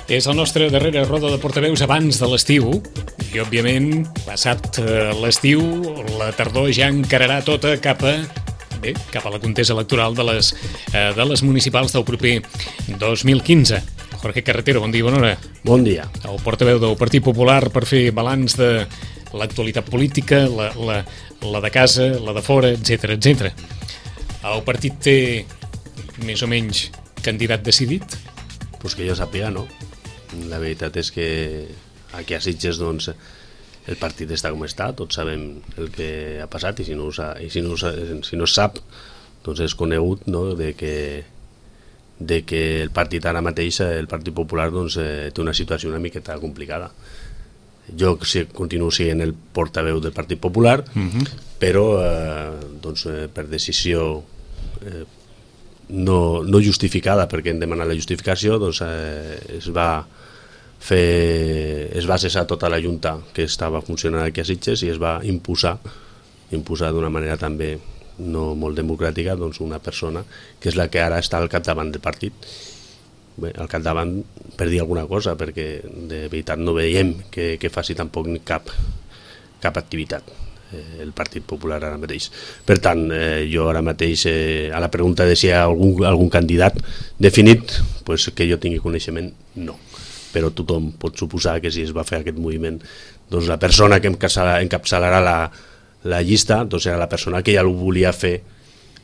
És la nostra darrera roda de portaveus abans de l'estiu i, òbviament, passat l'estiu, la tardor ja encararà tota cap a la contesa electoral de les municipals del proper 2015. Jorge Carretero, bon dia, bona hora. Bon dia. El portaveu del Partit Popular per fer balanç de l'actualitat política, la de casa, la de fora, etc. El partit té més o menys candidat decidit? Pues que jo sàpiga, no. La veritat és que aquí a Sitges, doncs, el partit està com està, tots sabem el que ha passat i si no es sap, doncs és conegut, no, de que el partit ara mateix, el Partit Popular, doncs, té una situació una miqueta complicada. Jo continuo sent el portaveu del Partit Popular, però doncs, per decisió no justificada, perquè hem demanat la justificació, doncs es va cessar tota la Junta que estava funcionant aquí a Sitges i es va imposar d'una manera també no molt democràtica, doncs, una persona que és la que ara està al capdavant del partit. Bé, al capdavant per dir alguna cosa, perquè de veritat no veiem que faci tampoc cap activitat el Partit Popular ara mateix. Per tant, jo ara mateix a la pregunta de si hi ha algun candidat definit, pues que jo tingui coneixement, no. Però tothom pot suposar que si es va fer aquest moviment, doncs la persona que encapçalarà la llista, doncs serà la persona que ja ho volia fer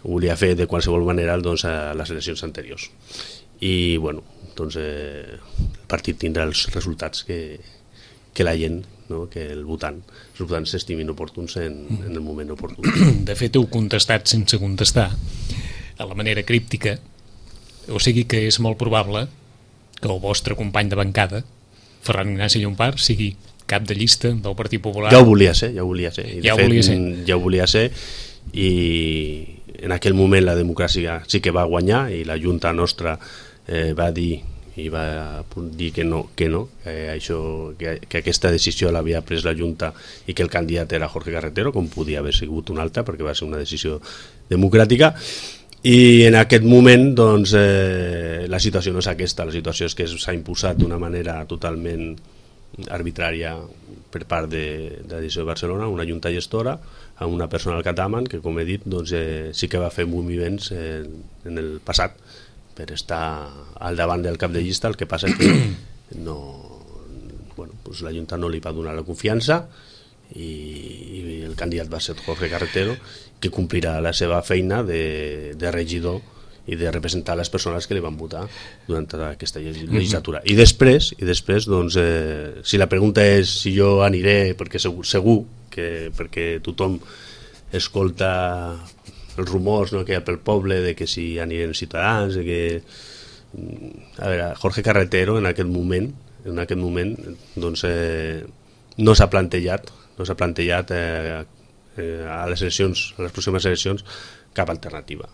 de qualsevol manera, doncs, a les eleccions anteriors. I bueno, doncs el partit tindrà els resultats que la gent, no, que els votants s'estimin oportuns en el moment oportú. De fet, heu contestat sense contestar, a la manera críptica, o sigui que és molt probable que el vostre company de bancada, Ferran Ignasi Llompart, sigui cap de llista del Partit Popular. Ja ho volia ser. I ja ho volia ser i en aquell moment la democràcia sí que va guanyar i la Junta nostra va dir que no, que aquesta decisió l'havia pres la Junta i que el candidat era Jorge Carretero, com podia haver sigut un altre, perquè va ser una decisió democràtica. I en aquest moment, doncs, la situació no és aquesta, la situació és que s'ha imposat d'una manera totalment arbitrària per part de la decisió de Barcelona, una junta gestora amb una persona al capdavant que, com he dit, doncs, sí que va fer moviments en el passat per estar al davant del cap de llista. El que passa és que doncs la Junta no li va donar la confiança i el candidat va ser Jorge Carretero, que complirà la seva feina de regidor i de representar les persones que li van votar durant tota aquesta legislatura. I després doncs, si la pregunta és si jo aniré, perquè segur que perquè tothom escolta els rumors, no, que hi ha pel poble de que si anirem ciutadans, de que... A veure, Jorge Carretero en aquest moment doncs, no s'ha plantejat a les pròximes eleccions cap alternativa.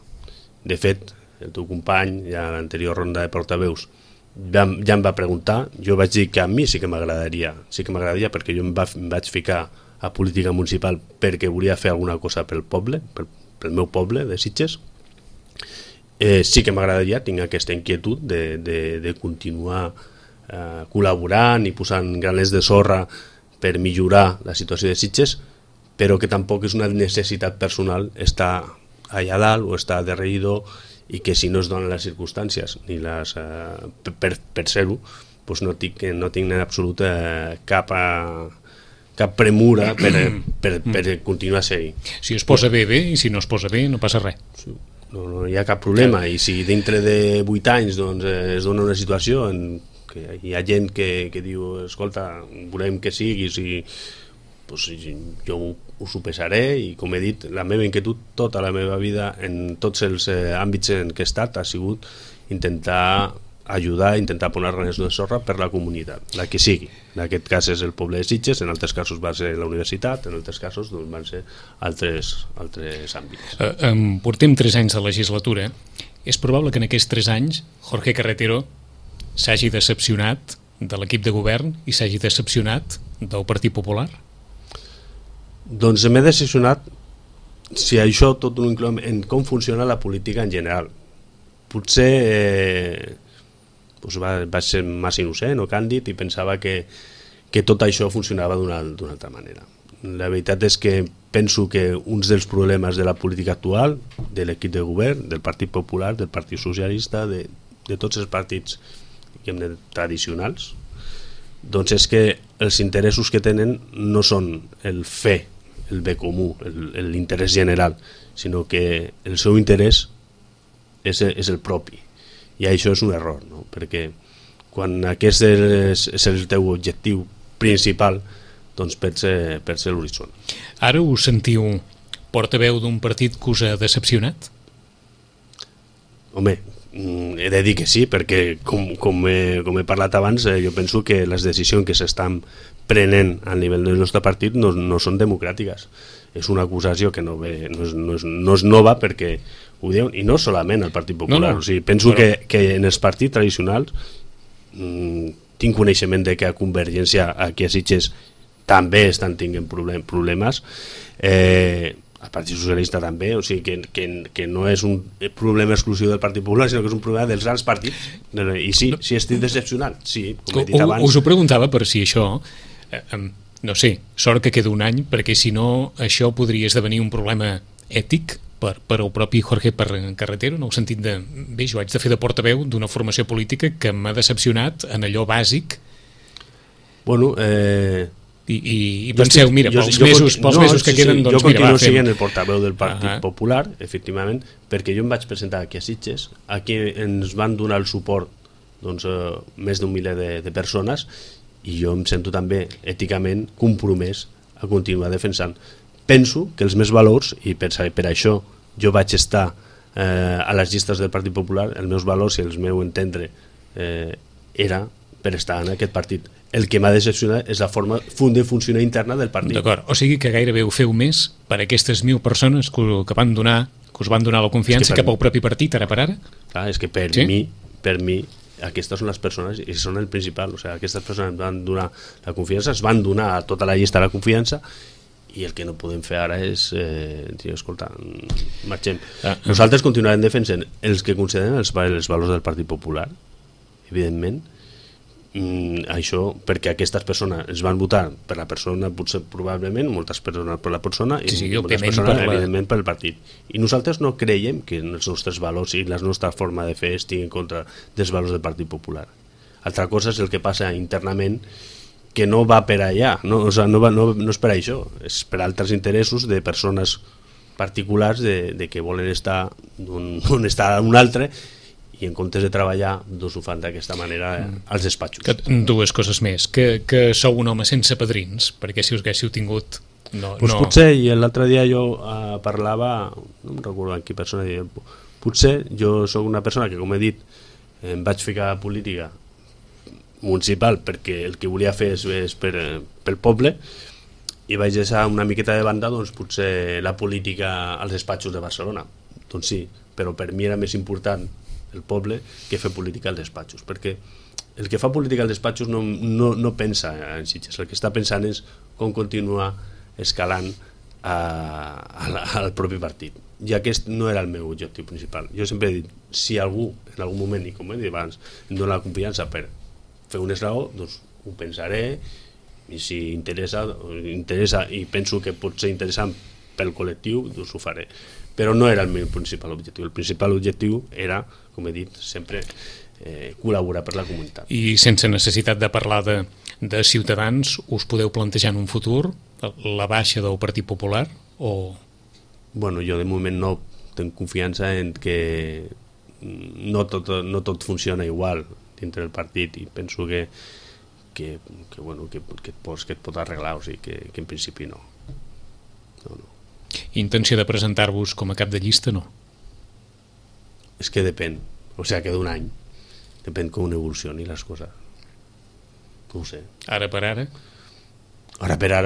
De fet, el teu company, ja a l'anterior ronda de portaveus, ja em va preguntar, jo vaig dir que a mi sí que m'agradaria, perquè jo em vaig ficar a política municipal perquè volia fer alguna cosa pel poble, pel meu poble de Sitges. Sí que m'agradaria, tinc aquesta inquietud de continuar col·laborant i posant graners de sorra per millorar la situació de Sitges, però que tampoc és una necessitat personal estar allà dalt o estar de regidor, i que si no es donen les circumstàncies ni per ser-ho, doncs no tinc en absolut cap premura per continuar ser-hi. Si es posa bé, i si no es posa bé no passa res. No hi ha cap problema, i si dintre de 8 anys doncs, es dona una situació en què hi ha gent que diu, escolta, volem que siguis, i doncs jo ho sopesaré, i com he dit, la meva inquietud tota la meva vida en tots els àmbits en què he estat ha sigut intentar ajudar, intentar posar graners de sorra per la comunitat, la que sigui. En aquest cas és el poble de Sitges, en altres casos va ser la universitat, en altres casos doncs, van ser altres àmbits. Portem 3 anys de legislatura. És probable que en aquests 3 anys Jorge Carretero s'hagi decepcionat de l'equip de govern i s'hagi decepcionat del Partit Popular? Doncs m'he decepcionat, si això tot ho incloem, en com funciona la política en general. Potser doncs vaig ser massa innocent o càndid i pensava que tot això funcionava d'una altra manera. La veritat és que penso que uns dels problemes de la política actual, de l'equip de govern, del Partit Popular, del Partit Socialista, de tots els partits tradicionals, doncs és que els interessos que tenen no són el fer, el bé comú, l'interès general, sinó que el seu interès és el propi. I això és un error, no? Perquè quan aquest és el teu objectiu principal, doncs perds l'horitzó. Ara us sentiu portaveu d'un partit que us ha decepcionat? Home, he de dir que sí, perquè com he parlat abans, jo penso que les decisions que s'estan prenent a nivell del nostre partit no són democràtiques. És una acusació que no és nova, perquè ho diuen, i no solament el Partit Popular. O sigui, penso que en els partits tradicionals tinc coneixement de que a Convergència, aquí a Sitges, també estan tinguent problemes. El Partit Socialista també, o sigui que no és un problema exclusiu del Partit Popular, sinó que és un problema dels grans partits. I sí estic decepcionat, sí, com he dit abans. Us ho preguntava per si això, no sé, sort que queda un any, perquè si no això podria esdevenir un problema ètic per el propi Jorge Carretero, en el sentit de, bé, jo haig de fer de portaveu d'una formació política que m'ha decepcionat en allò bàsic. Bueno, i penseu, mira, pels mesos que queden, doncs jo mira, continuo sent el portaveu del Partit Popular, efectivament, perquè jo em vaig presentar aquí a Sitges, aquí ens van donar el suport més d'un miler de persones, i jo em sento també èticament compromès a continuar defensant. Penso que els meus valors, i per això jo vaig estar a les llistes del Partit Popular, els meus valors i el meu entendre era per estar en aquest partit. El que m'ha decepcionat és la forma de funcionar interna del partit. D'acord, o sigui que gairebé ho feu més per aquestes 1.000 persones que us van donar la confiança cap al propi partit, ara per ara? Clar, és que per mi aquestes són les persones i són el principal. O sigui, aquestes persones ens van donar la confiança, es van donar a tota la llista la confiança, i el que no podem fer ara és dir, escolta, marxem. Nosaltres continuarem defensant els que consideren els valors del Partit Popular, evidentment, això perquè aquestes persones es van votar per la persona, potser probablement moltes persones per la persona i moltes persones evidentment pel partit, i nosaltres no creiem que els nostres valors i la nostra forma de fer estiguin en contra dels valors del Partit Popular. Altra cosa és el que passa internament, que no va per allà, no és per això, és per altres interessos de persones particulars de que volen estar on està un altre, i en comptes de treballar doncs ho fan d'aquesta manera als despatxos. Dues coses més, que sou un home sense padrins, perquè si us haguéssiu tingut potser, i l'altre dia jo parlava, no em recordo amb qui persona, potser jo sóc una persona que, com he dit, em vaig ficar a política municipal perquè el que volia fer és pel poble, i vaig deixar una miqueta de banda doncs potser la política als despatxos de Barcelona. Doncs sí, però per mi era més important el poble que fer política als despatxos, perquè el que fa política als despatxos no pensa en Sitges, el que està pensant és com continuar escalant al propi partit, i aquest no era el meu objectiu principal. Jo sempre he dit, si algú en algun moment, i com he dit abans, em dona la confiança per fer un esglaó, doncs ho pensaré, i si interessa i penso que pot ser interessant pel col·lectiu, doncs ho faré. Però no era el meu principal objectiu. El principal objectiu era, com he dit, sempre col·laborar per la comunitat. I sense necessitat de parlar de Ciutadans, us podeu plantejar en un futur la baixa del Partit Popular? Bueno, jo de moment no tinc confiança en que no tot funciona igual dintre del partit, i penso que et pot arreglar, o sigui que en principi no. Intenció de presentar-vos com a cap de llista, no? És que depèn, o sigui que d'un any depèn com evolucioni les coses, no ho sé. Ara per ara,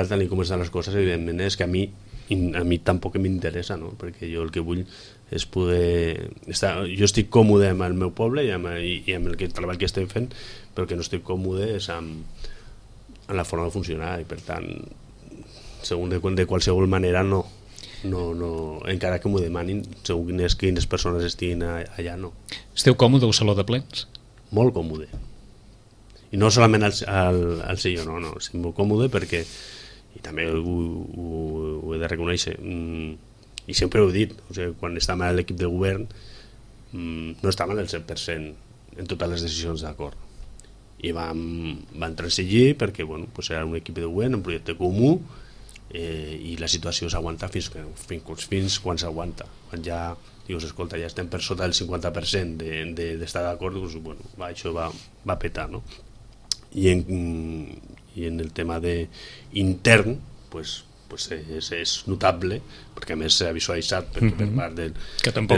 tal com estan les coses, evidentment és que a mi tampoc m'interessa, no? Perquè jo el que vull és poder estar, jo estic còmode amb el meu poble i amb el treball que estem fent, però que no estic còmode és amb la forma de funcionar, i per tant de qualsevol manera no, encara que m'ho demanin, segons quines persones estiguin allà, no. Esteu còmode al saló de plens? molt còmode. I no solament al sello, no, estic molt còmode perquè, i també ho he de reconèixer, i sempre ho he dit, o sigui, quan estàvem a l'equip de govern no estàvem al 100% en totes les decisions d'acord, i vam transigir perquè pues era un equip de govern, un projecte comú, i la situació s'aguanta fins quan s'aguanta. Quan ja dius, escolta, ja estem per sota del 50% d'estar d'acord, doncs, això va petar, no? I en el tema intern pues és notable, perquè a més s'ha visualitzat per part del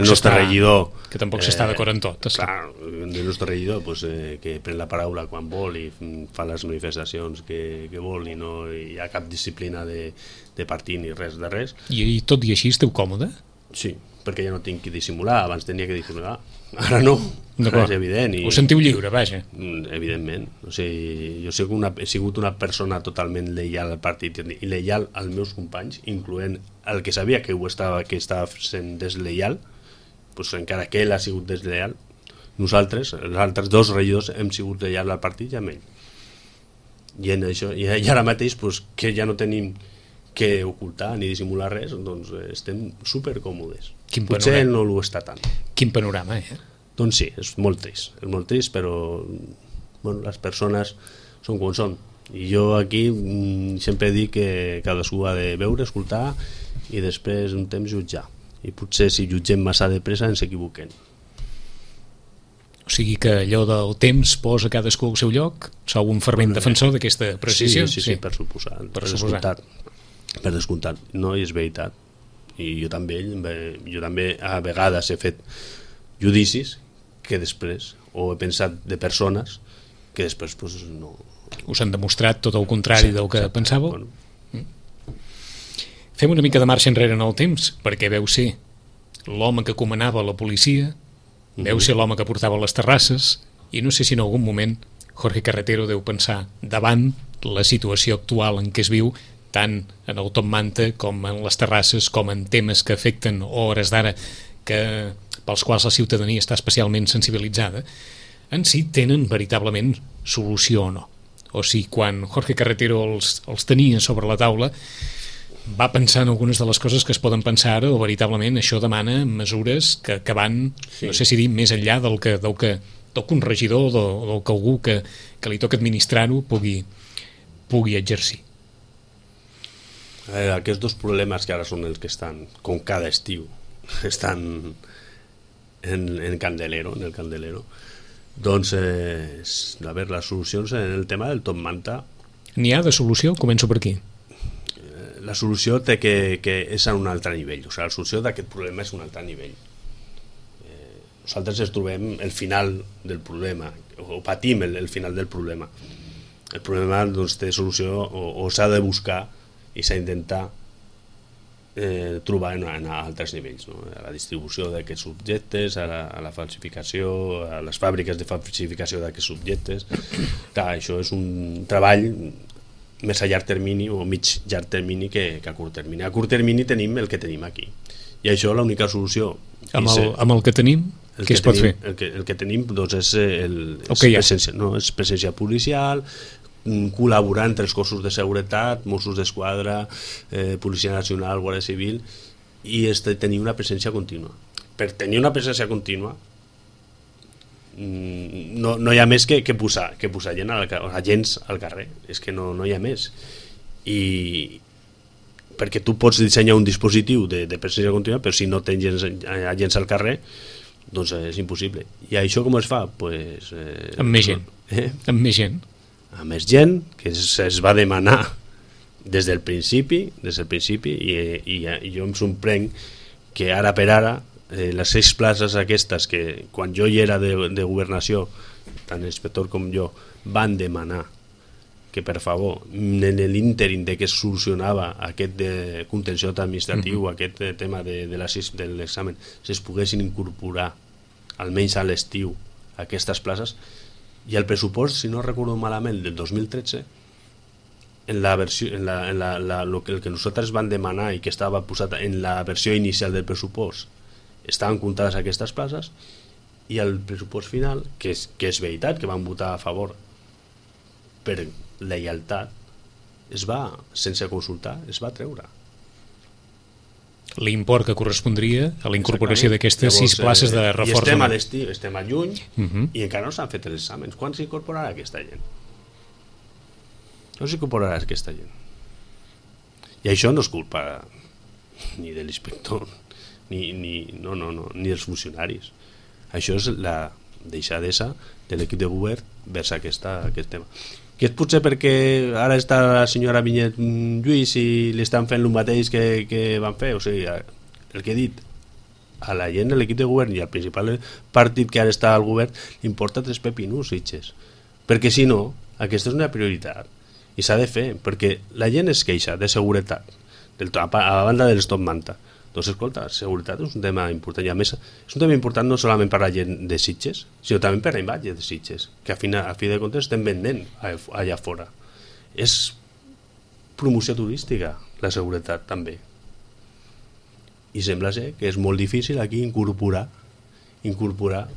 nostre regidor, que tampoc s'està d'acord en tot, clar, del nostre regidor que pren la paraula quan vol i fa les manifestacions que vol, i no hi ha cap disciplina de partit ni res de res. I tot i així esteu còmode? Sí, perquè ja no tinc que dissimular, abans tenia que dissimular, ara no, és evident. Ho sentiu lliure, vaja. Evidentment, o sigui, jo he sigut una persona totalment lleial al partit i lleial als meus companys, incloent el que sabia que estava sent deslleial, doncs encara que ell ha sigut deslleial, nosaltres, els altres dos regidors, hem sigut lleials al partit i amb ell. I en això, i ara mateix que ja no tenim que ocultar ni dissimular res, doncs estem supercòmodes. Potser no ho està tant. Quin panorama, Doncs sí, és molt trist, però les persones són com són. I jo aquí sempre dic que cadascú ha de veure, escoltar i després un temps jutjar. I potser si jutgem massa de pressa ens equivoquem. O sigui que allò del temps posa cadascú al seu lloc? Sou un fervent defensor d'aquesta precisió? Sí, per suposat. Per descomptat. No, i és veritat. I jo també a vegades he fet judicis que després, o he pensat de persones que després no... Us han demostrat tot el contrari del que pensàveu? Fem una mica de marxa enrere en el temps, perquè veu ser l'home que comanava la policia, veu ser l'home que portava les terrasses, i no sé si en algun moment Jorge Carretero deu pensar, davant la situació actual en què es viu, tant en el Top Manta com en les terrasses, com en temes que afecten hores d'ara pels quals la ciutadania està especialment sensibilitzada, en si tenen veritablement solució o no. O sigui, quan Jorge Carretero els tenia sobre la taula, va pensar en algunes de les coses que es poden pensar ara, o veritablement això demana mesures que van, no sé si dir, més enllà del que un regidor o del que algú que li toca administrar-ho pugui exercir. Aquests dos problemes que ara són els que estan, com cada estiu, estan en el Candelero, doncs les solucions en el tema del Top Manta. N'hi ha de solució? Començo per aquí. La solució té que és a un altre nivell, o sigui, la solució d'aquest problema és un altre nivell. Nosaltres ens trobem el final del problema, o patim el final del problema. El problema doncs, té solució o s'ha de buscar i s'ha d'intentar trobar en altres nivells, no? A la distribució d'aquests objectes, a la falsificació, a les fàbriques de falsificació d'aquests objectes. Clar, això és un treball més a llarg termini o mig llarg termini que a curt termini. A curt termini tenim el que tenim aquí. I això l'única solució... Amb el que tenim, què es pot fer? El que tenim doncs, és presència policial, col·laborar entre els cossos de seguretat, Mossos d'Esquadra, Policia Nacional, Guàrdia Civil, i tenir una presència contínua. Per tenir una presència contínua no hi ha més que posar agents al carrer, és que no hi ha més. I perquè tu pots dissenyar un dispositiu de presència contínua, però si no tens agents al carrer, doncs és impossible. I això com es fa? Amb més gent. Amb més gent. Amb més gent, que es va demanar des del principi, i jo em sorprenc que ara per ara les 6 places aquestes que quan jo hi era de governació, tant l'inspector com jo, van demanar que per favor en l'ínterim de que es solucionava aquest contenciós administratiu, aquest tema de l'examen, es poguessin incorporar almenys a l'estiu aquestes places. I el pressupost, si no recordo malament, del 2013, el que nosaltres vam demanar i que estava posat en la versió inicial del pressupost, estaven comptades aquestes places, i el pressupost final, que és veritat que van votar a favor per lleialtat, sense consultar, es va treure. L'import que correspondria a la incorporació d'aquestes 6 places de reforç. I estem a l'estiu, estem a juny, i encara no s'han fet els exàmens. Quan s'incorporarà aquesta gent? No s'incorporarà aquesta gent. I això no és culpa ni de l'inspector ni dels funcionaris. Això és la deixadesa de l'equip de govern vers aquest tema, que és potser perquè ara està la senyora Vinyet Lluís i li estan fent el mateix que van fer. O sigui, el que he dit, a la gent de l'equip de govern i al principal partit que ara està al govern li importa 3 pepinus, Sitges, perquè si no, aquesta és una prioritat i s'ha de fer, perquè la gent es queixa de seguretat a banda dels top manta. Doncs escolta, seguretat és un tema important, i a més és un tema important no solament per la gent de Sitges, sinó també per la imatge de Sitges, que a fi de comptes estem vendent allà fora. És promoció turística, la seguretat també. I sembla ser que és molt difícil aquí incorporar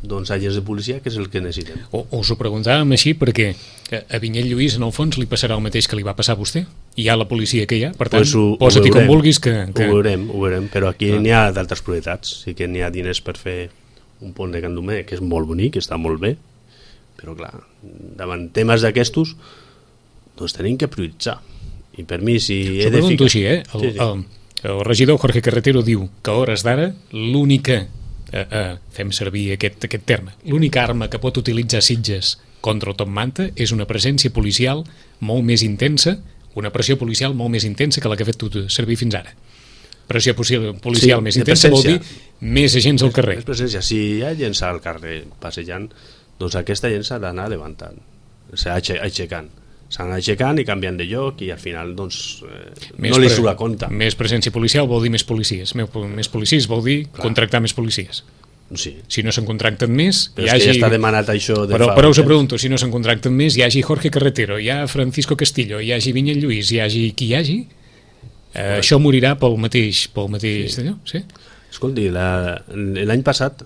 doncs, agents de policia, que és el que necessitem. Us ho preguntàvem així perquè a Vinyet Lluís, en el fons, li passarà el mateix que li va passar a vostè. Hi ha la policia que hi ha, per tant, posa-t'hi com vulguis que... Ho veurem, però aquí n'hi ha d'altres prioritats. Sí que n'hi ha diners per fer un pont de Candomer, que és molt bonic, està molt bé, però clar, davant temes d'aquestos, doncs tenim que prioritzar. I per mi, si he de ficar... Així, el regidor Jorge Carretero diu que a hores d'ara l'única... fem servir aquest terme, l'única arma que pot utilitzar Sitges contra el top manta és una presència policial molt més intensa, una pressió policial molt més intensa que la que ha fet tu servir fins ara. Pressió policial més intensa vol dir més agents al carrer. Presència. Si hi ha gent al carrer passejant, doncs aquesta gent s'ha d'anar levantant, aixecant. S'han aixecant i canviant de lloc i al final doncs, no li surt a compte. Més presència policial vol dir més policies. Més policies vol dir contractar més policies. Sí. Si no se'n contracten més... Però és que ja està demanat això de fa... Però us pregunto, si no se'n contracten més, hi hagi Jorge Carretero, hi ha Francisco Castillo, hi hagi Vinyet Lluís, hi hagi qui hi hagi, això morirà pel mateix allò? Sí? Escolti, l'any passat,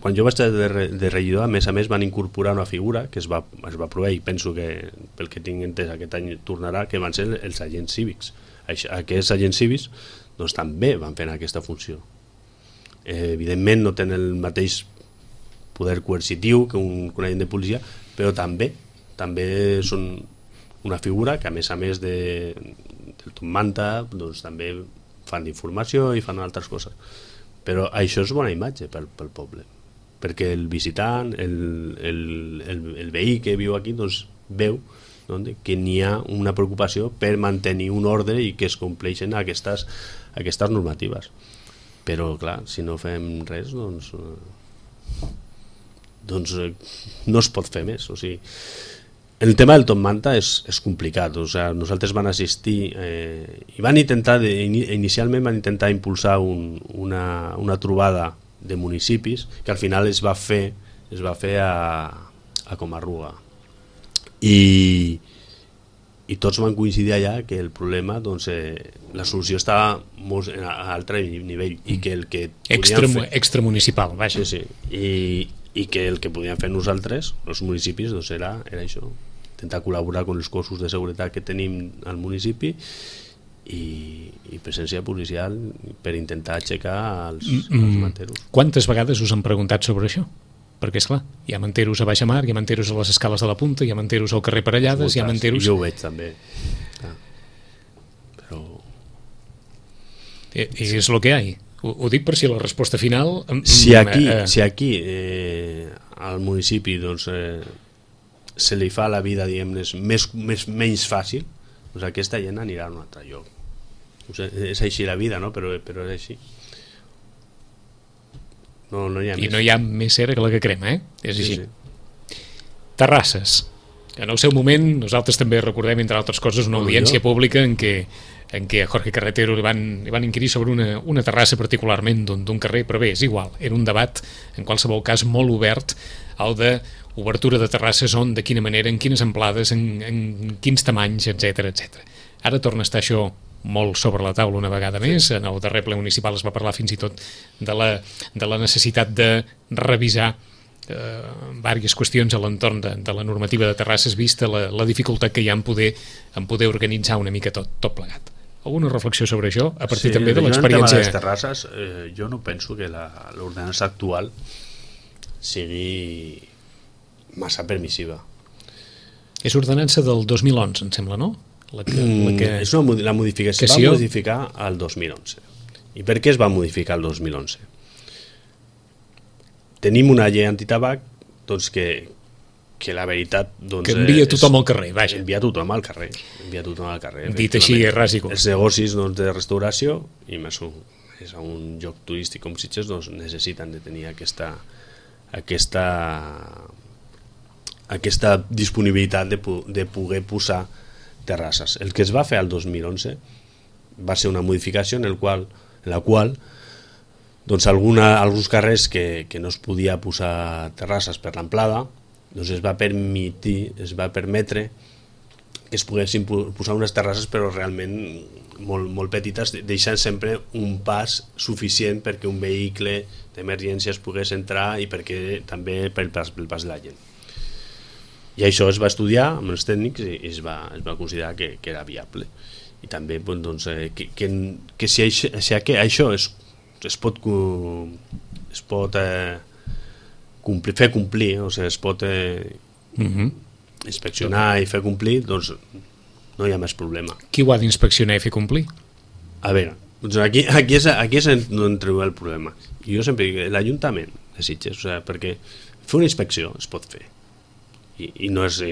quan jo vaig estar de regidor, a més van incorporar una figura que es va aprovar, i penso que pel que tinc entès aquest any tornarà, que van ser els agents cívics. Aquests agents cívics doncs, també van fer aquesta funció. Evidentment no tenen el mateix poder coercitiu que un agent de policia, però també són una figura que a més del top manta doncs, també fan informació i fan altres coses. Però això és bona imatge pel poble, perquè el visitant, el veí que viu aquí doncs, veu que n'hi ha una preocupació per mantenir un ordre i que es compleixen aquestes normatives. Però clar, si no fem res doncs no es pot fer més. O sigui, el tema del top manta és complicat. O sigui, nosaltres van assistir i van intentar, inicialment van intentar impulsar una trobada de municipis que al final es va fer a Comarruga i tots van coincidir allà que el problema, doncs, la solució estava molt a altre nivell i que el que extramunicipal, vaja. Sí. I que el que podíem fer nosaltres, els municipis, doncs era això, intentar col·laborar amb els cossos de seguretat que tenim al municipi i presència policial per intentar aixecar els manteros. Quantes vegades us han preguntat sobre això? Perquè, esclar, hi ha manteros a Baixa Mar, hi ha manteros a les escales de la Punta, hi ha manteros al carrer Parellades, hi ha manteros... Jo ho veig també. Però... És el que hi ha. Ho dic per si la resposta final... Si aquí al municipi doncs, se li fa la vida, diguem-ne, menys fàcil, doncs aquesta gent anirà a un altre lloc. És així la vida, no? Però és així. No hi ha més. I no hi ha més cera que la que crema, És així. Sí. Terrasses. En el seu moment, nosaltres també recordem, entre altres coses, una audiència pública en què a Jorge Carretero li van inquirir sobre una terrassa particularment d'un carrer, però bé, és igual. Era un debat, en qualsevol cas, molt obert, el de obertura de terrasses on, de quina manera, en quines amplades, en quins tamanys, etc. Ara torna a estar això molt sobre la taula una vegada més. En el darrer ple municipal es va parlar fins i tot de la necessitat de revisar diverses qüestions a l'entorn de la normativa de terrasses, vista la dificultat que hi ha en poder organitzar una mica tot plegat. Alguna reflexió sobre això, a partir també de l'experiència? Sí, en tema de les terrasses, jo no penso que l'ordenança actual sigui massa permissiva. És ordenança del 2011, em sembla, no? La modificació va modificar el 2011. I per què es va modificar el 2011? Tenim una llei antitabac doncs, que la veritat... Doncs, que envia tothom al carrer, vaja. Envia tothom al carrer. Dit així, ras i curt. Els negocis doncs, de restauració, i més és un lloc turístic com Sitges, doncs, necessiten de tenir aquesta disponibilitat de poder posar terrasses. El que es va fer al 2011 va ser una modificació en la qual doncs, alguns carrers que no es podia posar terrasses per l'amplada, doncs es va permetre que es poguessin posar unes terrasses però realment molt petites, deixant sempre un pas suficient perquè un vehicle d'emergència es pogués entrar i perquè també pel pas de la gent. I això es va estudiar amb els tècnics i es va considerar que era viable. I també doncs, que si això es pot fer complir, o sigui, es pot inspeccionar i fer complir, doncs no hi ha més problema. Qui ho ha d'inspeccionar i fer complir? A veure, doncs aquí és on treu el problema. I jo sempre dic, l'Ajuntament de Sitges, o sigui, perquè fer una inspecció es pot fer. I no és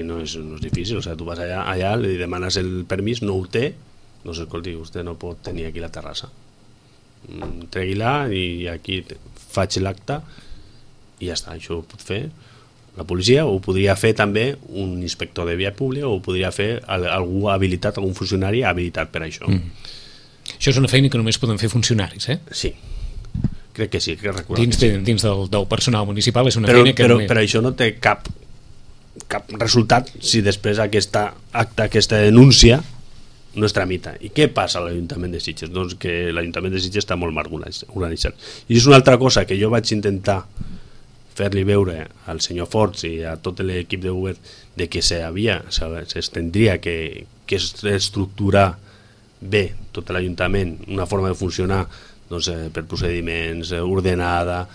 difícil, o sigui, tu vas allà, li demanes el permís, no ho té, doncs escolti, vostè no pot tenir aquí la terrassa. Tregui-la i aquí faig l'acte i ja està, això ho pot fer la policia, o ho podria fer també un inspector de via pública, o ho podria fer algú habilitat, algun funcionari habilitat per això. Això és una feina que només poden fer funcionaris, eh? Sí, crec que sí, dins del personal municipal és una feina que només... Però això no té cap resultat si després aquesta denúncia no es tramita. I què passa a l'Ajuntament de Sitges? Doncs que l'Ajuntament de Sitges està molt mal organitzat. I és una altra cosa que jo vaig intentar fer-li veure al senyor Forts i a tot l'equip de govern de que s'estendria que estructurar bé tot l'Ajuntament, una forma de funcionar doncs, per procediments, ordenada,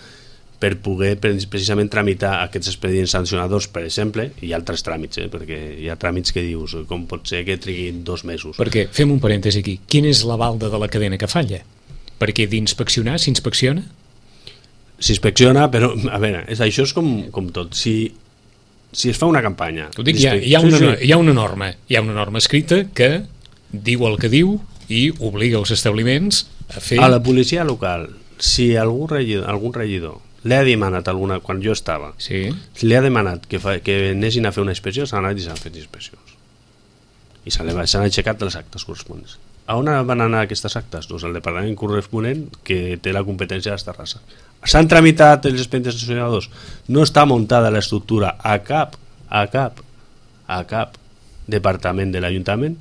per poder precisament tramitar aquests expedients sancionadors, per exemple, i altres tràmits, perquè hi ha tràmits que dius, com pot ser que triguin 2 mesos. Perquè, fem un parèntesi aquí, quin és l'aval de la cadena que falla? Perquè d'inspeccionar, s'inspecciona? S'inspecciona, però, a veure, això és com tot. Si es fa una campanya... Ho dic, hi ha una norma escrita que diu el que diu i obliga els establiments a fer... A la policia local, si algun regidor li ha demanat quan jo estava, sí. Li ha demanat que anessin a fer una inspecció, s'han anat i s'han fet inspeccions. I s'han aixecat les actes corresponents. A on van anar aquestes actes? Doncs al departament corresponent que té la competència de les terrasses. S'han tramitat els expedients sancionadors. No està muntada l'estructura a cap departament de l'Ajuntament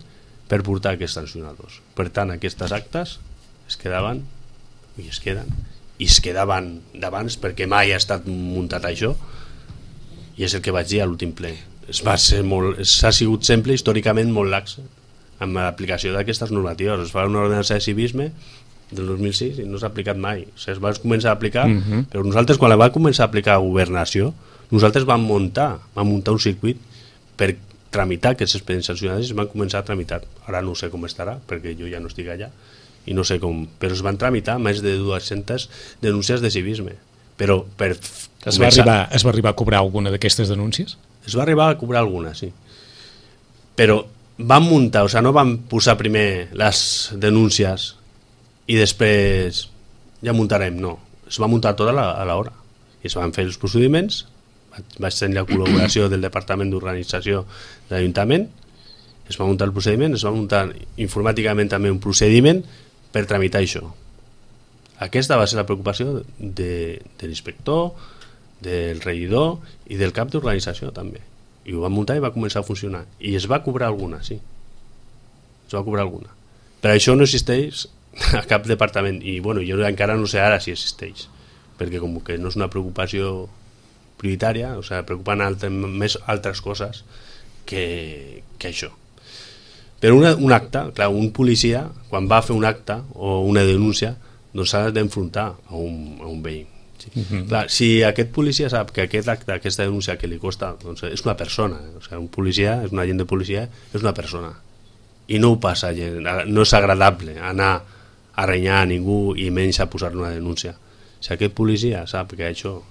per portar aquests sancionadors. Per tant, aquestes actes es quedaven i es quedaven d'abans perquè mai ha estat muntat això, i és el que vaig dir a l'últim ple. S'ha sigut sempre històricament molt lax amb l'aplicació d'aquestes normatives. Es fa una ordenança de civisme del 2006 i no s'ha aplicat mai. Es va començar a aplicar, però nosaltres quan la va començar a aplicar a governació, nosaltres vam muntar un circuit per tramitar aquests expedients sancionadors i es van començar a tramitar. Ara no sé com estarà perquè jo ja no estic allà i no sé com, però es van tramitar més de 200 denúncies de civisme. Però es va arribar a cobrar alguna d'aquestes denúncies? Es va arribar a cobrar alguna, sí. Però van muntar, o sigui, no van posar primer les denúncies i després ja muntarem, no. Es va muntar tot a l'hora. I es van fer els procediments, vaig tenir la col·laboració del Departament d'Organització de l'Ajuntament, es va muntar el procediment, es va muntar informàticament també un procediment per tramitar això. Aquesta va ser la preocupació de l'inspector, del regidor i del cap d'organització també. I ho va muntar i va començar a funcionar. I es va cobrar alguna, sí. Es va cobrar alguna. Però això no existeix a cap departament. I bueno, jo encara no sé ara si existeix. Perquè com que no és una preocupació prioritària, o sigui, preocupen més altres coses que això. Però un acte, clar, un policia, quan va a fer un acte o una denúncia, doncs s'ha d'enfrontar a un veí. Clar, si aquest policia sap que aquest acte, aquesta denúncia que li costa, doncs és una persona, o sigui, un policia, és un agent de policia, és una persona, i no ho passa gent, no és agradable anar a renyar a ningú i menys a posar-li una denúncia. Si aquest policia sap que això,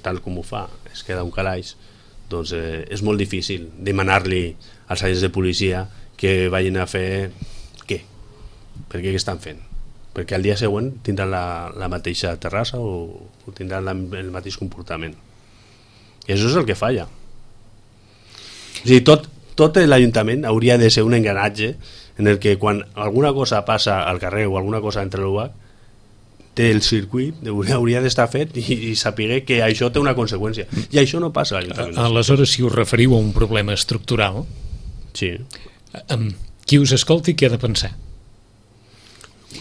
tal com ho fa, es queda un calaix, doncs és molt difícil demanar-li als agents de policia que vagin a fer què? Perquè què estan fent? Perquè al dia següent tindran la mateixa terrassa o tindran el mateix comportament. I això és el que falla. O sigui, tot l'Ajuntament hauria de ser un engranatge en el que quan alguna cosa passa al carrer o alguna cosa entre l'UAC, té el circuit, hauria d'estar fet i saber que això té una conseqüència. I això no passa a l'Ajuntament. Aleshores, si us referiu a un problema estructural, sí. Qui us escolti, què ha de pensar?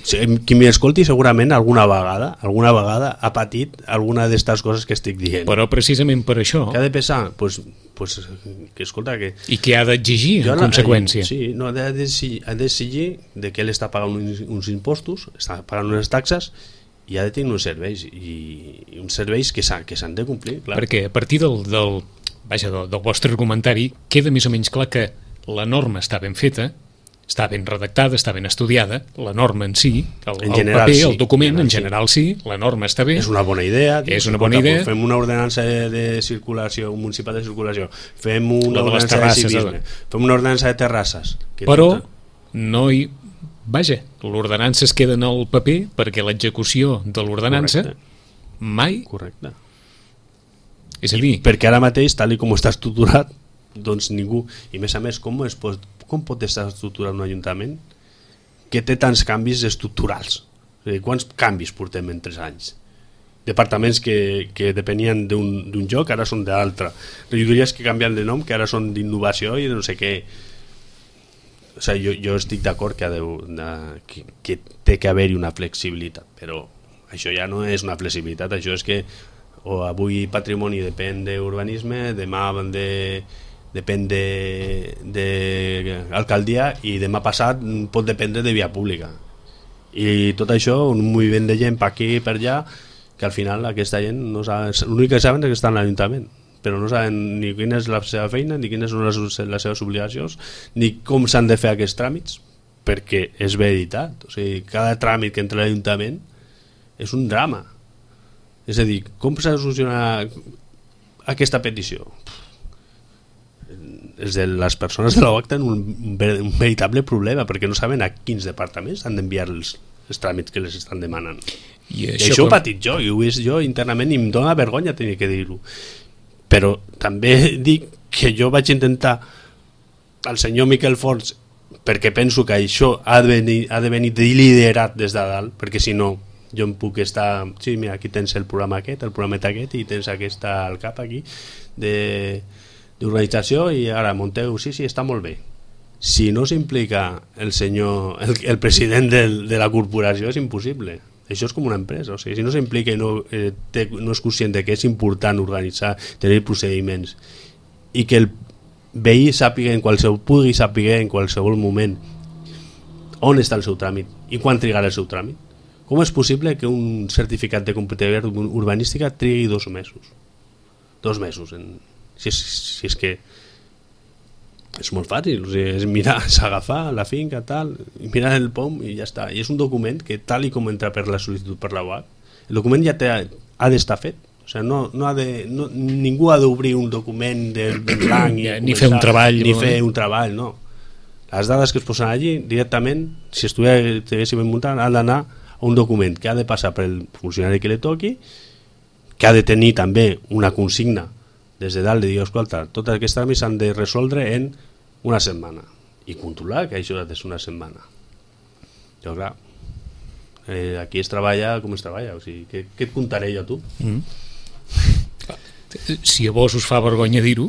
Qui m'escolti segurament alguna vegada ha patit alguna d'aquestes coses que estic dient. Però precisament per això... Què ha de pensar? Pues, que escolta... Que... I què ha d'exigir en conseqüència? Sí, no, ha d'exigir de que ell està pagant uns impostos, està pagant unes taxes i ha de tenir uns serveis, i uns serveis que s'han de complir. Clar. Perquè a partir del vostre argumentari queda més o menys clar que la norma està ben feta, està ben redactada, està ben estudiada, la norma en si, el general, paper, sí, el document, en general sí, la norma està bé. És una bona idea. És una bona idea. Fem una ordenança de circulació, un municipal de circulació, fem una ordenança de civisme, fem una ordenança de terrasses. Però no hi... Vaja, l'ordenança es queda en el paper perquè l'execució de l'ordenança mai... Correcte. És a dir... Perquè ara mateix, tal com està estructurat, doncs ningú... I més a més, com pot estar estructurat un ajuntament que té tants canvis estructurals? Quants canvis portem en 3 anys? Departaments que depenien d'un lloc, ara són d'altre. Regidories que canvien de nom, que ara són d'innovació i de no sé què. O sigui, jo estic d'acord que té que haver-hi una flexibilitat, però això ja no és una flexibilitat, això és que avui patrimoni depèn d'urbanisme, demà depèn d'alcaldia i demà passat pot dependre de via pública. I tot això, un moviment de gent per aquí i per allà, que al final aquesta gent no saben, l'únic que saben és que estan a l'Ajuntament, però no saben ni quina és la seva feina, ni quines són les seves obligacions, ni com s'han de fer aquests tràmits, perquè és veritat. O sigui, cada tràmit que entra a l'Ajuntament és un drama. És a dir, com s'ha de solucionar aquesta petició? Les persones de l'OAC tenen un veritable problema perquè no saben a quins departaments han d'enviar els tràmits que les estan demanant. I això ho he patit jo, i ho he vist jo internament i em dóna vergonya tenir que dir-ho. Però també dic que jo vaig intentar al senyor Miquel Forns perquè penso que això ha de venir liderat des de dalt, perquè si no jo em puc estar... Sí, mira, aquí tens el programa aquest, el programet aquest, i tens aquesta al cap aquí d'organització, i ara munteu, sí, està molt bé. Si no s'implica el president de la corporació és impossible. Això és com una empresa, o sigui, si no s'implica i no és conscient de que és important organitzar, tenir procediments, i que el veí pugui saber en qualsevol moment on està el seu tràmit i quan trigarà el seu tràmit. Com és possible que un certificat de compatibilitat urbanística trigui 2 mesos? 2 mesos, si és que és molt fàcil, o sigui, és mirar, s'agafar la finca, tal, mirar el POM i ja està. I és un document que, tal i com entra per la sol·licitud per la UAC, el document ja ha d'estar fet. O sigui, ningú ha d'obrir un document de blanc ni fer un treball, no. Les dades que es posen allí, directament, si estiguéssim muntant, han d'anar a un document que ha de passar pel funcionari que li toqui, que ha de tenir també una consigna des de dalt de dir, escolta, tots aquests tràmits s'han de resoldre en una setmana i controlar que això és una setmana. Jo, clar, aquí es treballa com es treballa, o sigui, què et contaré jo a tu? Si a vos us fa vergonya dir-ho,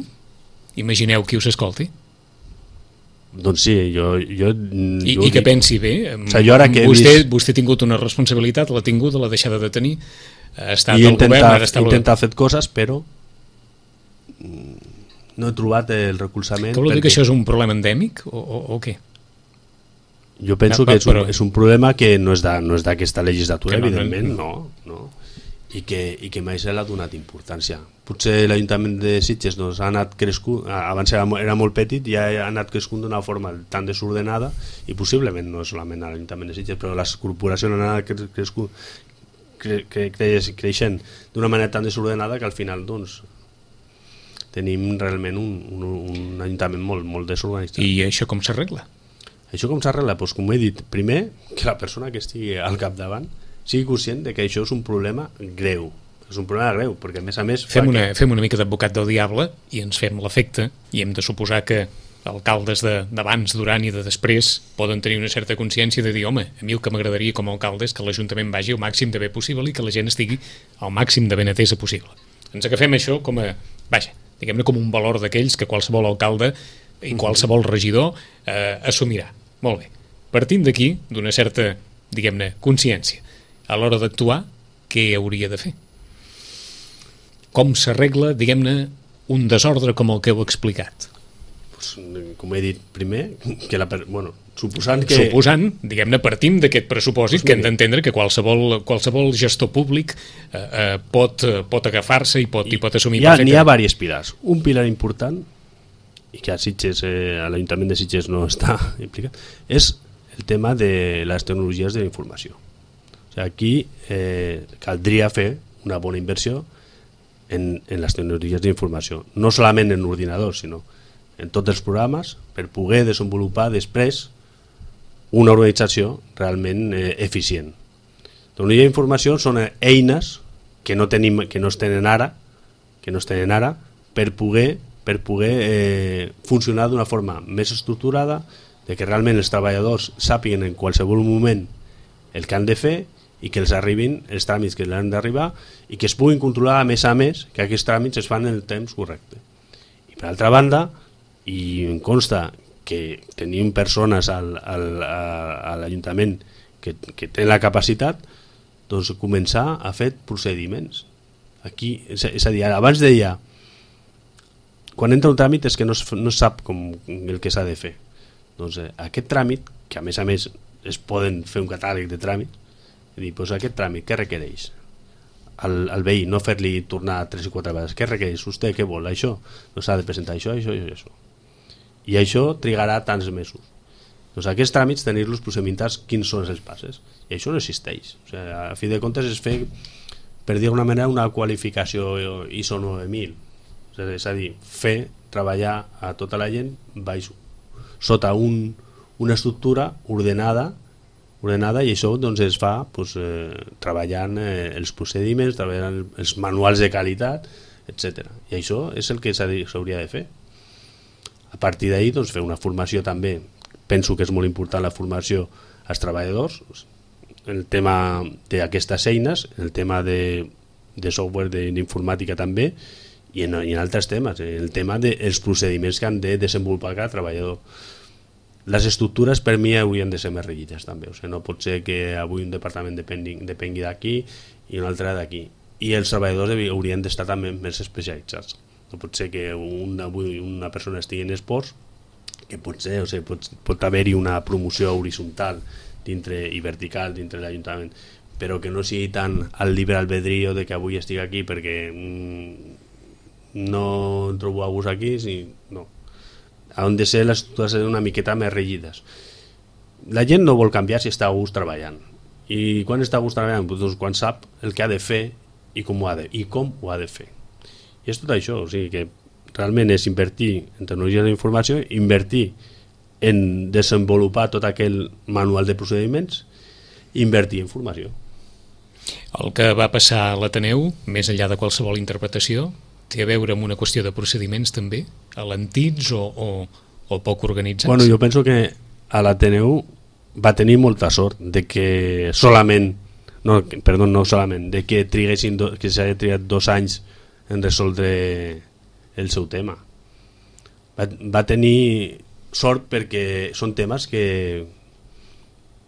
imagineu qui us escolti. Doncs sí, I que pensi bé, o sigui, vostè ha tingut una responsabilitat, l'ha tingut, l'ha deixada de tenir, ha estat el govern, ara està intentar fer coses, però no he trobat el recolzament. Que vol dir que això és un problema endèmic o què? Jo penso que és un problema que no és d'aquesta legislatura, evidentment, no. I que mai se l'ha donat importància. Potser l'Ajuntament de Sitges ha anat crescut, abans era molt petit i ha anat crescut d'una forma tan desordenada, i possiblement no és solament a l'Ajuntament de Sitges, però les corporacions han anat creixent d'una manera tan desordenada que al final tenim realment un Ajuntament molt desorganitzat. I això com s'arregla? Això com s'arregla? Doncs com he dit, primer, que la persona que estigui al capdavant sigui conscient de que això és un problema greu. És un problema greu, perquè a més... Fem una mica d'advocat del diable i ens fem l'efecte, i hem de suposar que alcaldes d'abans, durant i de després poden tenir una certa consciència de dir, home, a mi el que m'agradaria com a alcalde és que l'Ajuntament vagi el màxim de bé possible i que la gent estigui al màxim de ben atesa possible. Ens agafem això com a, diguem-ne, com un valor d'aquells que qualsevol alcalde i qualsevol regidor assumirà. Molt bé. Partint d'aquí, d'una certa, diguem-ne, consciència, a l'hora d'actuar, què hauria de fer? Com s'arregla, diguem-ne, un desordre com el que heu explicat? Pues, com he dit primer, que suposant, diguem-ne, partim d'aquest pressupòsit que hem d'entendre que qualsevol gestor públic pot agafar-se i pot assumir perfectament. N'hi ha diversos pilars. Un pilar important, i que a Sitges, a l'Ajuntament de Sitges no està implicat, és el tema de les tecnologies de la informació. Aquí caldria fer una bona inversió en les tecnologies d'informació, no solament en ordinadors, sinó en tots els programes, per poder desenvolupar després una organització realment eficient. Tecnologia d'informació són eines que no es tenen ara per poder funcionar d'una forma més estructurada, de que realment els treballadors sàpiguen en qualsevol moment el que han de fer i que els arribin els tràmits que han d'arribar i que es puguin controlar a més que aquests tràmits es fan en el temps correcte. I per altra banda, i em consta que tenim persones a l'Ajuntament que tenen la capacitat, doncs començar a fer procediments. Aquí, és a dir, abans deia, quan entra un tràmit és que no es sap el que s'ha de fer. Doncs aquest tràmit, que a més es poden fer un catàleg de tràmits, és dir, doncs aquest tràmit, què requereix? Al veí, no fer-li tornar 3 i 4 vegades. Què requereix? Vostè què vol? Això? No s'ha de presentar això. I això trigarà tants mesos. Doncs aquests tràmits, tenir-los procedimentats, quins són els passes? I això no existeix. O sigui, a fi de comptes es fer, per dir d'alguna manera, una qualificació ISO 9000. És a dir, fer treballar a tota la gent sota una estructura ordenada, i això doncs, es fa treballant els procediments, treballant els manuals de qualitat, etc. I això és el que s'hauria de fer. A partir d'ahir doncs, fer una formació també, penso que és molt important la formació als treballadors, el tema d'aquestes eines, el tema de software, d'informàtica també, i en altres temes, el tema dels procediments que han de desenvolupar cada treballador. Les estructures per mi haurien de ser més rígides també, o sigui, no pot ser que avui un departament depengui d'aquí i un altre d'aquí, i els treballadors haurien d'estar també més especialitzats. No pot ser que avui una persona estigui en esports, que potser, o sigui, pot haver-hi una promoció horitzontal i vertical dintre l'Ajuntament, però que no sigui tan al llibre albedrío de que avui estigui aquí perquè no trobo a gust aquí, no. Han de ser les estructures una miqueta més rígides. La gent no vol canviar si està a gust treballant. I quan està a gust treballant? Doncs quan sap el que ha de fer i com ho ha de fer. I és tot això, o sigui que realment és invertir en tecnologia de la informació, invertir en desenvolupar tot aquell manual de procediments, invertir en formació. El que va passar a l'Ateneu, més enllà de qualsevol interpretació, té a veure amb una qüestió de procediments també, alentits o poc organitzats? Bueno, jo penso que a l'Ateneu va tenir molta sort de que de que s'hagi trigat 2 anys en resoldre el seu tema. Va tenir sort perquè són temes que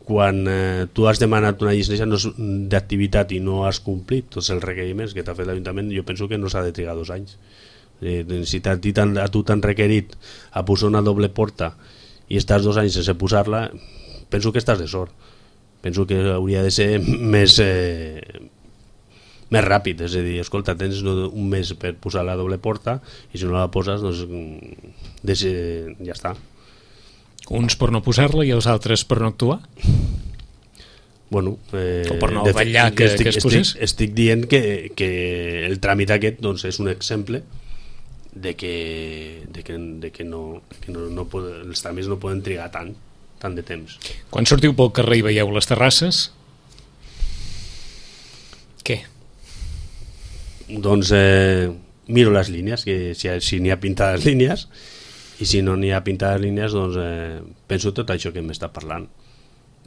quan tu has demanat una llicència d'activitat i no has complit tots els requeriments que t'ha fet l'Ajuntament, jo penso que no s'ha de trigar 2 anys. Si a tu t'han requerit a posar una doble porta i estàs 2 anys sense posar-la, penso que estàs de sort. Penso que hauria de ser més ràpid, és a dir, escolta, tens un mes per posar la doble porta i si no la poses, doncs ja està. Uns per no posar-la i els altres per no actuar? Bueno, o per no vetllar que es posés? Estic dient que el tràmit aquest doncs, és un exemple de que els tràmits no poden trigar tant de temps. Quan sortiu pel carrer i veieu les terrasses, què? Doncs miro les línies, que si n'hi ha pintades línies, i si no n'hi ha pintades línies, doncs penso tot això que m'està parlant.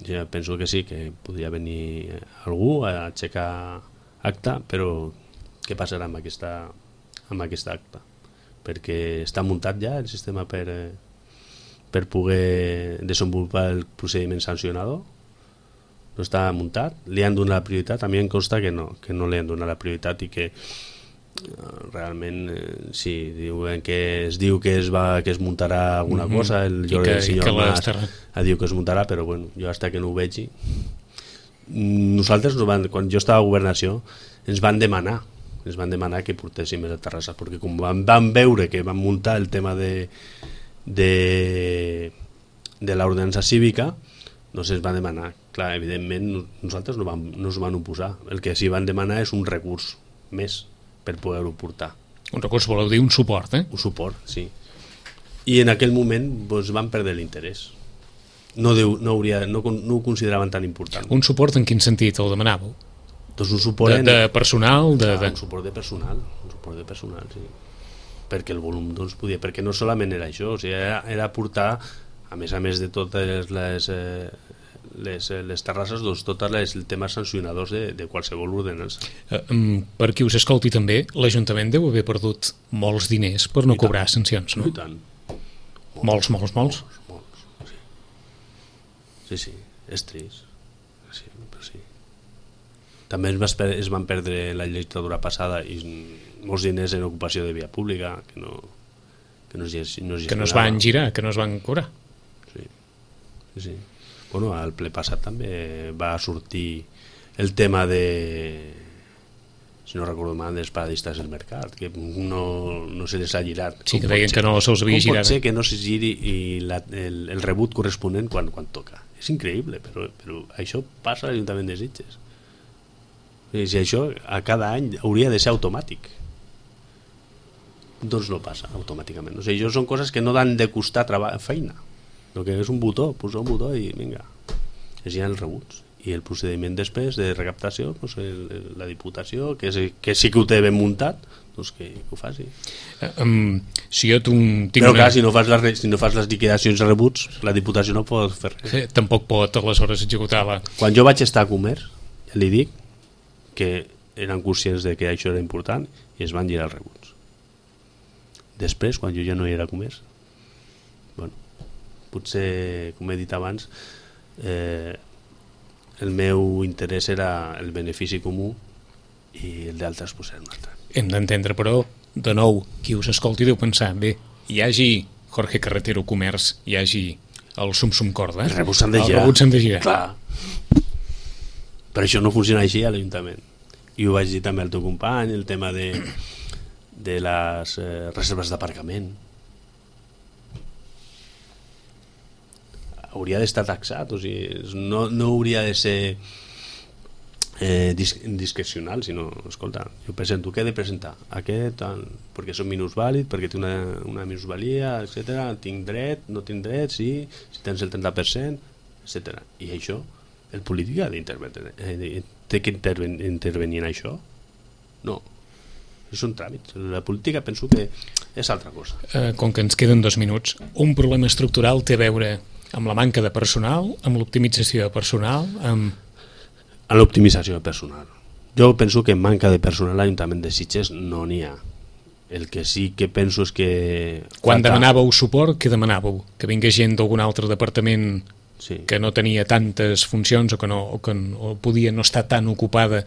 Jo penso que sí, que podria venir algú a aixecar acta, però què passarà amb aquesta acta? Perquè està muntat ja el sistema per poder desenvolupar el procediment sancionador, no està muntat, li han donat la prioritat. A mi em consta que no li han donat la prioritat i que realment sí, es diu que es muntarà alguna cosa, el senyor Mas diu que es muntarà, però bueno, jo fins que no ho vegi. Nosaltres, quan jo estava a Governació, ens van demanar que portéssim a Terrassa, perquè com van veure que van muntar el tema de l'ordenança cívica, doncs ens van demanar. Clar, evidentment nosaltres no ens van oposar, el que sí van demanar és un recurs més per poder-ho portar. Un recurs voleu dir un suport, eh? Un suport, sí. I en aquell moment doncs, van perdre l'interès. No ho consideraven tan important. Un suport en quin sentit el demanàveu? Doncs un suport de personal? Un suport de personal, sí. Perquè el volum doncs, podia... Perquè no solament era això, o sigui, era portar, a més de totes les terrasses, doncs, tots els temes sancionadors de qualsevol ordenança. Per qui us escolti també, l'Ajuntament deu haver perdut molts diners per no cobrar sancions, no? I tant. Molts. Sí, és trist. Sí, però sí. També es van perdre la legislatura passada i molts diners en ocupació de via pública que no es van girar, que no es van cobrar. Sí. Bueno, al ple passat també va sortir el tema de, si no recordo mal, dels paradistes del mercat, que no se les ha girat. Sí, que deien que no se'ls havia girat. Com pot ser que no se giri el rebut corresponent quan toca? És increïble, però això passa a l'Ajuntament de Sitges. Si això a cada any hauria de ser automàtic, doncs no passa automàticament. O sigui, això són coses que no han de costar feina. El que és un botó, posar un botó i vinga, es giren els rebuts. I el procediment després de recaptació, doncs la Diputació, que sí que ho té ben muntat, doncs que ho faci. Si jo tinc però clar, si no fas les liquidacions de rebuts, la Diputació no pot fer res. Tampoc pot aleshores executar-la. Quan jo vaig estar a Comerç, ja li dic que eren conscients de que això era important i es van girar els rebuts. Després, quan jo ja no hi era a Comerç, bueno, potser, com he dit abans, el meu interès era el benefici comú i el d'altres pues, era un altre. Hem d'entendre, però, de nou, qui us escolti deu pensar, bé, hi hagi Jorge Carretero Comerç, hi hagi el Sum Corda, els rebuts s'han de girar. Clar. Però això no funciona així a l'Ajuntament. I ho vaig dir també al teu company, el tema de les reserves d'aparcament. Hauria d'estar taxat, o sigui, no hauria de ser discrecional, sinó, escolta, jo presento, què he de presentar? Aquest, perquè soc minusvàlid, perquè té una minusvalia, etc. Tinc dret, no tinc dret, sí, si tens el 30%, etc. I això, el polític ha d'intervenir, té que intervenir en això? No. Són tràmits. La política penso que és altra cosa. Com que ens queden 2 minuts, un problema estructural té a veure amb la manca de personal, amb l'optimització de personal, amb l'optimització de personal. Jo penso que manca de personal a l'Ajuntament de Sitges no n'hi ha. El que sí que penso és que... Quan demanàveu suport, què demanàveu? Que vingués gent d'algun altre departament que no tenia tantes funcions o podia no estar tan ocupada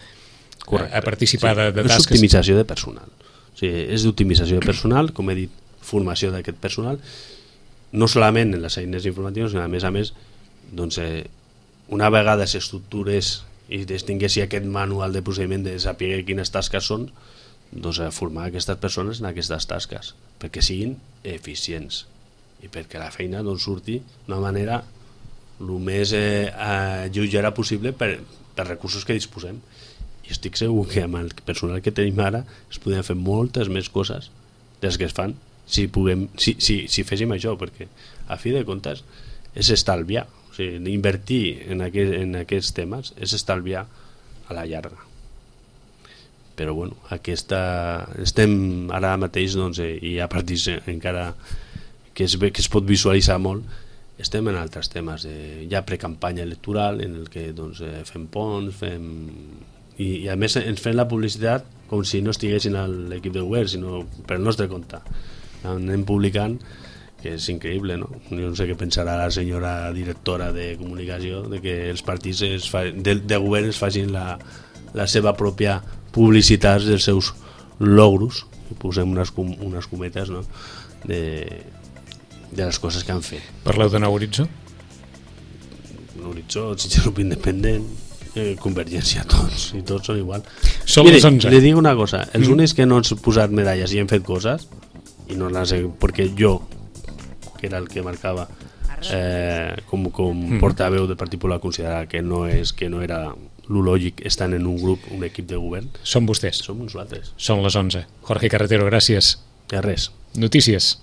a participar de tasques. És optimització de personal. O sigui, és d'optimització de personal, com he dit, formació d'aquest personal, no solament en les eines informatives, sinó a més, doncs, una vegada s'estructures i distingueixi aquest manual de procediment de saber quines tasques són, doncs formar aquestes persones en aquestes tasques, perquè siguin eficients i perquè la feina doncs, surti d'una manera el més lleugera possible per recursos que disposem. I estic segur que amb el personal que tenim ara es podrien fer moltes més coses des que es fan si féssim això, perquè a fi de comptes és estalviar. O sigui, invertir en aquests temes és estalviar a la llarga. Però bueno, estem ara mateix, doncs, i a partir encara que es pot visualitzar molt, estem en altres temes, ja precampanya electoral en el que doncs, fem ponts, i a més ens fem la publicitat com si no estiguessin a l'equip de govern, sinó per el nostre compte. Anem publicant, que és increïble, no? Jo no sé què pensarà la senyora directora de comunicació de que els partits de govern es facin la seva pròpia publicitat dels seus logros, i posem unes cometes, no? de les coses que han fet. Parleu de Nou Horitzó? Nou Horitzó, el Grup Independent, Convergència, tots són igual. Som les 11. Li dic una cosa, els únics que no han posat medalles i han fet coses, i no les he... perquè jo, que era el que marcava com portaveu del Partit Popular, considerar que no era lo lògic estar en un grup, un equip de govern. Són vostès. Som nosaltres. Són les 11. Jorge Carretero, gràcies. De res. Notícies.